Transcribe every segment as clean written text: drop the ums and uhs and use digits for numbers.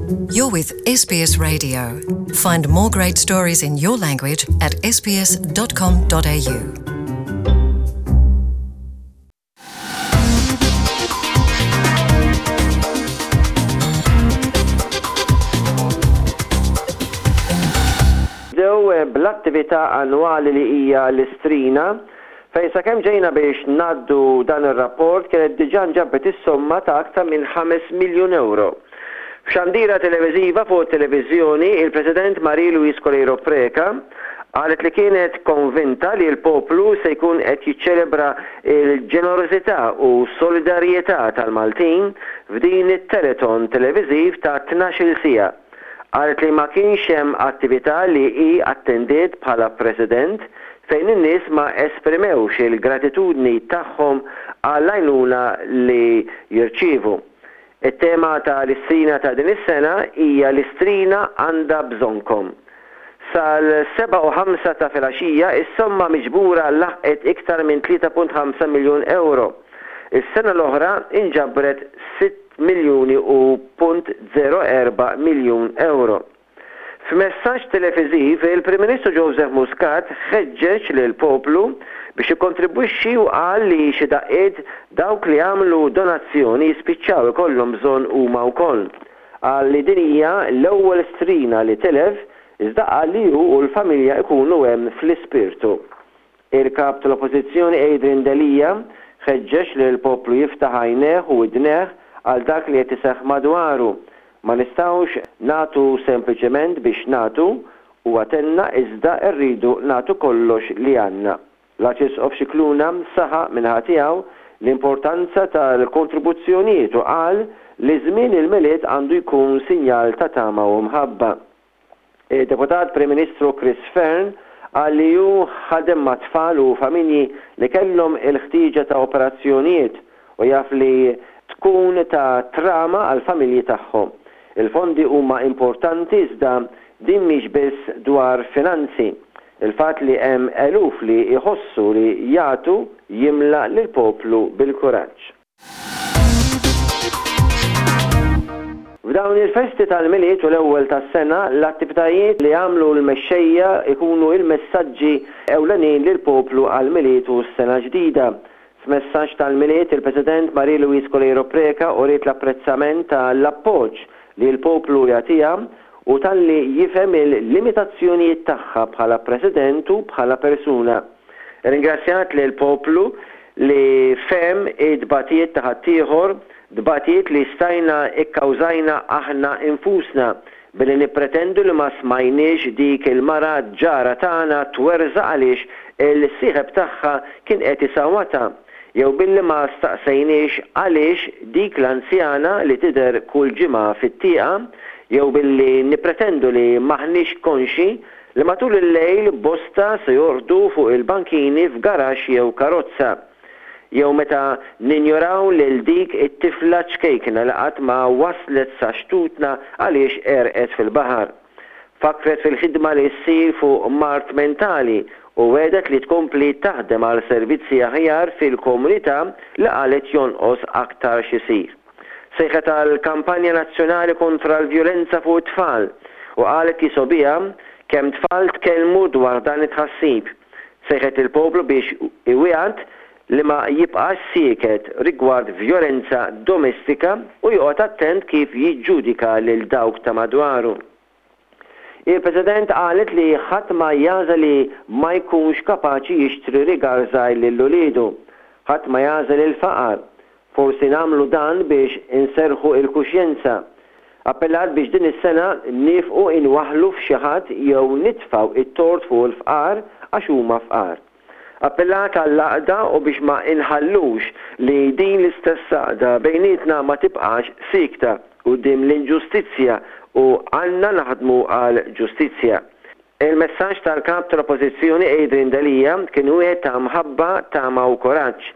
You're with SBS Radio. Find more great stories in your language at sbs.com.au. Bdew eh, bl-attività annwali li hija l-Istrina, fejn sakemm ġejna biex ngħaddu dan ir-rapport kienet diġà nġabet is-somma ta' aktar minn 5 miljun ewro. F'xandira televiżiva fuq it-televiżjoni, il-President Marie Louise Coleiro Preca qalet li kienet konvinta li l-poplu se jkun qed jiċċelebra l-ġenerożità u solidarjetà tal-Maltin f'din it-telethon televiżiv ta' 12-il siegħa. Qalet li ma kienx hemm attività li hi attendiet bħala President fejn in-nies ma esprimewx il-gratitudni tagħhom għall-għajnuna li jirċievu. It-tema ta' l-Istrina ta' din is-sena hija L-Istrina għandha bżonnkom. Sal-7 u ħamsa ta' filgħaxija is-somma miġbura laħqet iktar minn 3.5 miljun ewro. Is-sena l-oħra inġabret 6 miljuni u punt 04 miljun ewro. F'messaġġ televiżiv, il-Prim Ministru Joseph Muscat ħeġġeġ lill-poplu biex jikkontribwixxi u qal li xi daqqiet dawk li għamlu donazzjoni jispiċċaw ikollhom bżonn huma wkoll. Qal li din hija l-ewwel strina li tilef iżda qal li hu u l-familja jkunu hemm fl-ispirtu. Il-Kap tal-Oppożizzjoni Adrian Delia ħeġġeġ lill-poplu jiftaħ għajnejh u widnejh għal dak li qed iseħħ madwaru. Ma nistgħux nagħtu sempliċement biex nagħtu, huwa tenna iżda rridu nagħtu kollox li għandna. L-Arċisqof Scicluna saħaq min-naħa tiegħu l-importanza tal-kontribuzzjonijiet u qal li żmien il-Milied għandu jkun sinjal ta' tama u mħabba. Id-Deputat Prim Ministru Chris Fearne qal li hu ħadem ma' tfal u familji li kellhom il-ħtieġa ta' operazzjonijiet u jaf li tkun ta' trama għall-familji tagħhom. Il-fondi huma importanti iżda din mhix biss dwar finanzi. Il-fatt li hemm eluf li jħossu li jagħtu jimla lill-poplu bil-kuraġġ. F'dawn il-festi tal-Milied u l-Ewwel tas-Sena, l-attivitajiet li jagħmlu l-mexxejja jkunu l-messaġġi ewlenin lill-poplu għall-Milied u s-Sena Ġdida. F'messaġġ tal-Milied, il-President Marie Louise Coleiro Preca uriet l-apprezzament ta' l-appoġġ li l-poplu jagħtiha u talli jifhem il-limitazzjonijiet tagħha bħala President u bħala persuna. Irringrazzjat lill-poplu li fehem it-tbatijiet ta' ħaddieħor, tbatijiet li stajna kkawżajna aħna nfusna billi nippretendu li ma smajniex dik il-mara ġara tagħna twerżaq għaliex il-sieħeb tagħha kien qed isawwatha jew billi ma staqsejniex għaliex dik l-anzjana li tidher kull ġimgħa fit-tieqa jew billi nippretendu li m'aħniex konxji li matul il-lejl bosta se jorqdu fuq il-bankini f'garaxx jew karozza, jew meta ninjoraw lil dik it-tifla ċkejkna li qatt ma waslet sa xtutna għaliex għerqet fil-baħar. Fakkret fil-ħidma li ssir fuq mard mentali u wegħdet li tkompli taħdem għal servizzi aħjar fil-komunità li qalet jonqos aktar x'isir. Sejħet għal kampanja nazzjonali kontra l-vjolenza fuq it-tfal u qalet li sogħbiha kemm tfal tkellmu dwar dan it-tħassib. Sejħet lill-poplu biex iwiegħed li ma jibqax sieket rigward vjolenza domestika u joqgħod attent kif jiġġudika lil dawk ta' madwaru. Il-President qalet li ħadd ma jagħżel li ma jkunx kapaċi jixtri rigal żgħir lil uliedu. Ħadd ma jagħżel il-faqar. Forsi nagħmlu dan biex inserrħu l-kuxjenza. Appellat biex din is-sena niefqu inwaħħlu f'xi ħadd jew nitfgħu t-tort fuq il-fqar għax huma fqar. Appellat għall-għaqda u biex ma inħallux li din l-istess għaqda bejnietna ma tibqax siekta quddiem l-inġustizzja u għandna naħdmu għall-ġustizzja. Il-messaġġ tal-Kap tal-Oppożizzjoni Adrian Delia kien wieħed ta' mħabba, tama u kuraġġ.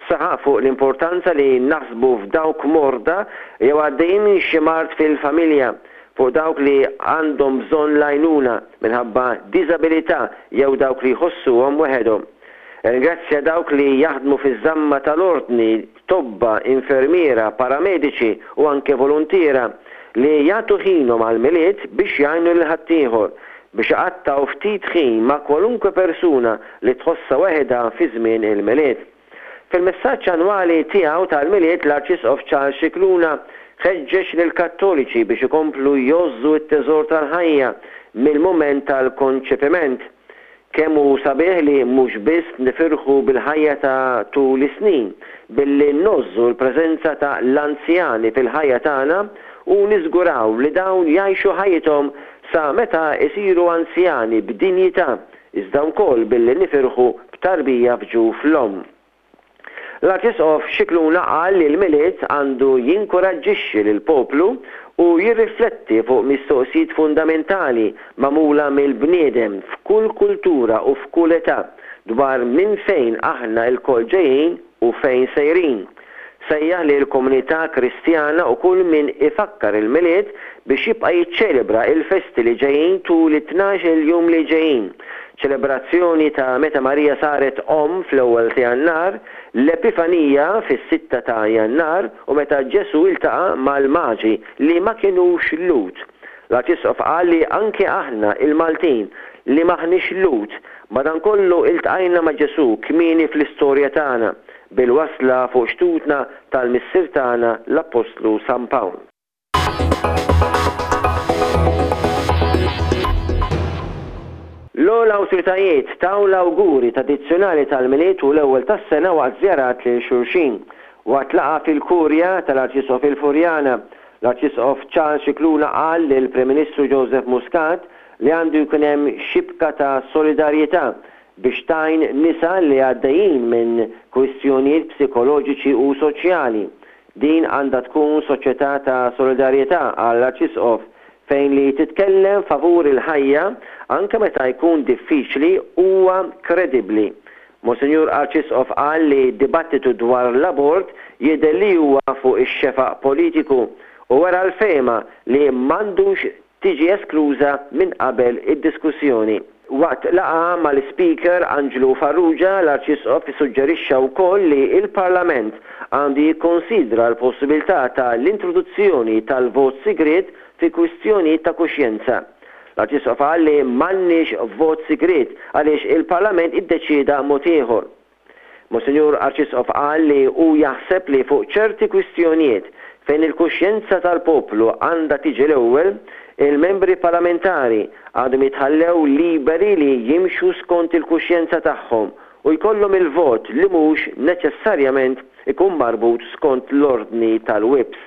Saħaq fuq l-importanza li naħsbu f'dawk morda jew għaddejjin minn xi mard fil-familja, fuq dawk li għandhom bżonn l-għajnuna minħabba diżabilità jew dawk li jħossuhom weħedhom. Irringrazzja dawk li jaħdmu fiż-żamma tal-ordni, tobba, infermiera, paramediċi u anke voluntiera. li jagħtu ħinhom għall-Milied biex jgħinu lil ħaddieħor, biex iqattgħu ftit ħin ma' kwalunkwe persuna li tħossha weħidha fi żmien il-Milied. Fil-messaġġ annwali tiegħu tal-Milied l-Arċisqof Charles Scicluna ħeġġeġ lill-Kattoliċi biex ikomplu jgħożżu t-teżor tal-ħajja mill-mument tal-konċepiment. Kemm hu sabiħ li mhux biss nifirħu bil-ħajja ta' tul is-snin, billi ngħożżu l-preżenza ta' l-anzjani fil-ħajja tagħna u niżguraw li dawn jgħixu ħajjithom sa meta jsiru anzjani b'dinjità, iżda wkoll billi nifirħu b'tarbija f'ġuf l-omm. L-Arċisqof Scicluna qal li l-Milied għandu jinkuraġġixxi lill-poplu u jirrifletti fuq mistoqsijiet fundamentali magħmula mill-bniedem f'kull kultura u f'kull età dwar minn fejn aħna lkoll ġejjin u fejn sejrin. Sejjaħ lill-komunità Kristjana u kull min ifakkar il-Milied biex jibqa' jiċċelebra l-festi li ġejjin tul it-tnax-il jum li ġejjin, ċelebrazzjoni ta' meta Marija saret omm fl-ewwel ta' Jannar, l-Epifanija fis-sitta ta' Jannar u meta Ġesù ltaqa' mal-Maġi li ma kinux Lhud. L-Arċisqof qal li anke aħna il-Maltin li m'aħniex Lhud, madankollu iltqajna ma' Ġesù kmieni fl-istorja tagħna bil-wasla fuq xtutna tal-Missier tagħna l-Appostlu San Pawl. L-ogħla awtoritajiet taw l-awguri tradizzjonali tal-Milied u l-Ewwel tas-Sena waqt żjarat lil xulxin. Waqt laqgħa fil-Kurja tal-Arċisqof il-Furjana, l-Arċisqof Charles Scicluna qal lill-Prim Ministru Joseph Muscat li għandu jkun hemm xibka ta' solidarjetà biex tgħin nisa li għaddejjin minn kwistjonijiet psikoloġiċi u soċjali. Din għandha tkun soċjetà ta' solidarjetà, qal l-Arċisqof, fejn li titkellem favur il-ħajja, anke meta jkun diffiċli, huwa kredibbli. Monsinjur Arċisqof qal li d-dibattitu dwar l-abort jidher li huwa fuq ix-xefaq politiku u wera l-fehma li m'għandux tiġi eskluża minn qabel id-diskussjoni. Waqt laqgħa mal-Ispeaker Anġlu Farrugia, l-Arċisqof issuġġerixxa wkoll li l-Parlament għandu jikkonsidra l-possibilità ta' l-introduzzjoni tal-vot sigriet fi kwistjonijiet ta' kuxjenza. L-Arċisqof qal li m'għandniex vot sigriet għaliex il-Parlament iddeċieda mod ieħor. Monsinjur Arċisqof qal li hu jaħseb li fuq ċerti kwistjonijiet fejn il-kuxjenza tal-poplu għandha tiġi l-ewwel, il-membri parlamentari għandhom jitħallew liberi li jimxu skont il-kuxjenza tagħhom u jkollhom il-vot li mhux neċessarjament ikun marbut skont l-ordni tal-whips.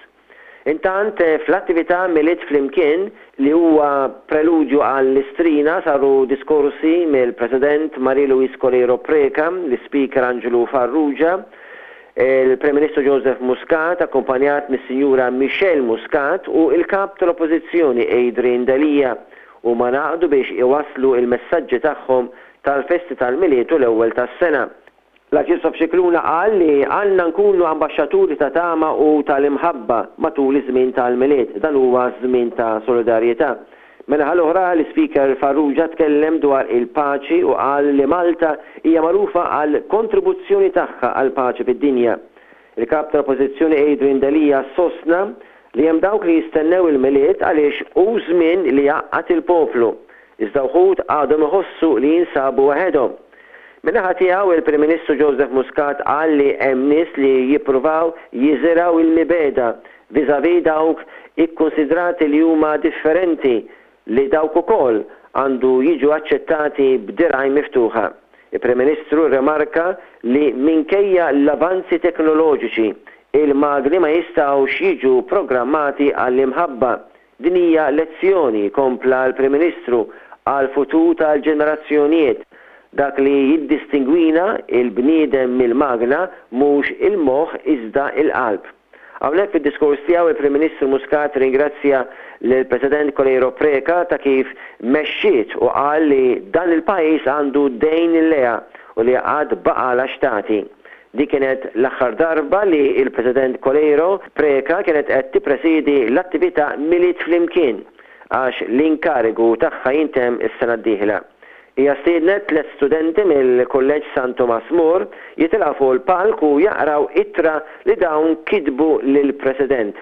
Intant, fl-attività Milied Flimkien, li huwa preludju għall-Istrina, saru diskorsi mill-President Marie Louise Coleiro Preca, l-Ispeaker Anġlu Farrugia, il-Prim Ministru Joseph Muscat akkumpanjat mis-Sinjura Michelle Muscat u l-Kap tal-Oppożizzjoni Adrian Delia. Huma ngħaqdu biex iwasslu l-messaġġi tagħhom tal-festi tal-Milied u l-Ewwel tas-Sena. L-Arċisqof Scicluna qal li għandna nkunu ambaxxaturi ta' tama u tal-imħabba matul iż-żmien tal-Milied. Dan huwa żmien ta' solidarjetà. Min-naħa l-oħra, l-Ispeaker Farrugia tkellem dwar il-paċi u qal li Malta hija magħrufa għall-kontribuzzjoni tagħha għall-paċi fid-dinja. Il-Kap tal-Oppożizzjoni Adrian Delia sostna li hemm dawk li jistennew il-Milied għaliex hu żmien li jgħaqqad il-poplu, iżda wħud għadhom iħossu li jinsabu waħedhom. Min-naħa tiegħu, il-Prim Ministru Joseph Muscat qal li hemm nies li jippruvaw jiżirgħu l-mibegħda vis-à-vis dawk ikkunsidrati li huma differenti li dawk ukoll għandu jiġu aċċettati b'dirgħajn miftuħa. Il-Prim Ministru rrimarka li minkejja l-avanzi teknoloġiċi, il-magni ma jistgħux jiġu programmati għall-imħabba. Din hija lezzjoni, kompla l-Prim Ministru, għall-futur tal-ġenerazzjonijiet. Dak li jiddistingwina, il-bniedem mill-magna, mhux il-moħħ iżda l-qalb. Hawnhekk fid-diskors tiegħu il-Prim Ministru Muscat ringrazzja lill-President Coleiro Preca ta' kif mexxiet u qal li dan il-pajjiż għandu dejn lejha u li għad baqgħalha x'tagħti. Din kienet l-aħħar darba li l-President Coleiro Preca kienet qed tippresiedi l-attività Milied Flimkien għax l-inkarigu tagħha jintemm is-sena d-dieħla. Hija stiednet tlett studenti mill-Kulleġġ San Tumas More jitilgħu fuq il-palk u jaqraw ittra li dawn kitbu lill-President.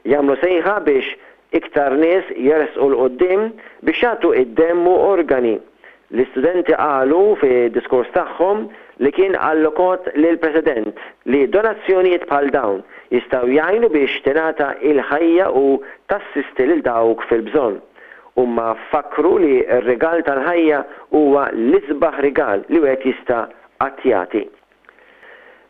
Jagħmlu sejħa biex iktar nies jersqu 'l quddiem biex jagħtu d-demm u organi. L-istudenti qalu fid-diskors tagħhom li kien allokot lill-President li donazzjonijiet bħal dawn jistgħu jgħinu biex tingħata il-ħajja u tassisti lil dawk fil-bżonn. Huma fakkru li r-rigal tal-ħajja huwa l-isbaħ rigal li wieħed jista' qatt jagħti.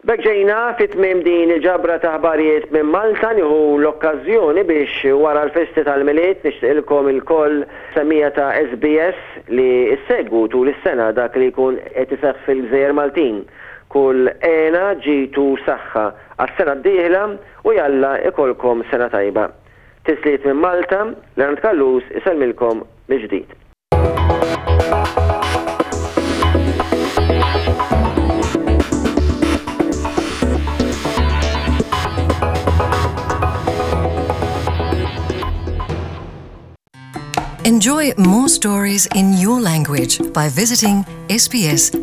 B'hekk ġejna fi tmiem din il-ġabra ta' aħbarijiet minn Malta. Nieħu l-okkażjoni biex wara l-festi tal-Milied nixtieqilkom ilkoll semmiegħa ta' SBS li ssegwu tul is-sena dak li jkun qed iseħħ fil-gżejjer Maltin. Kull hena, ġid u saħħa għas-sena d-dieħla u jalla ikollkom sena tajba. Tislijiet minn Malta, Leonard Callus isellmilkom mill-ġdid. Enjoy more stories in your language by visiting sbs.com.au.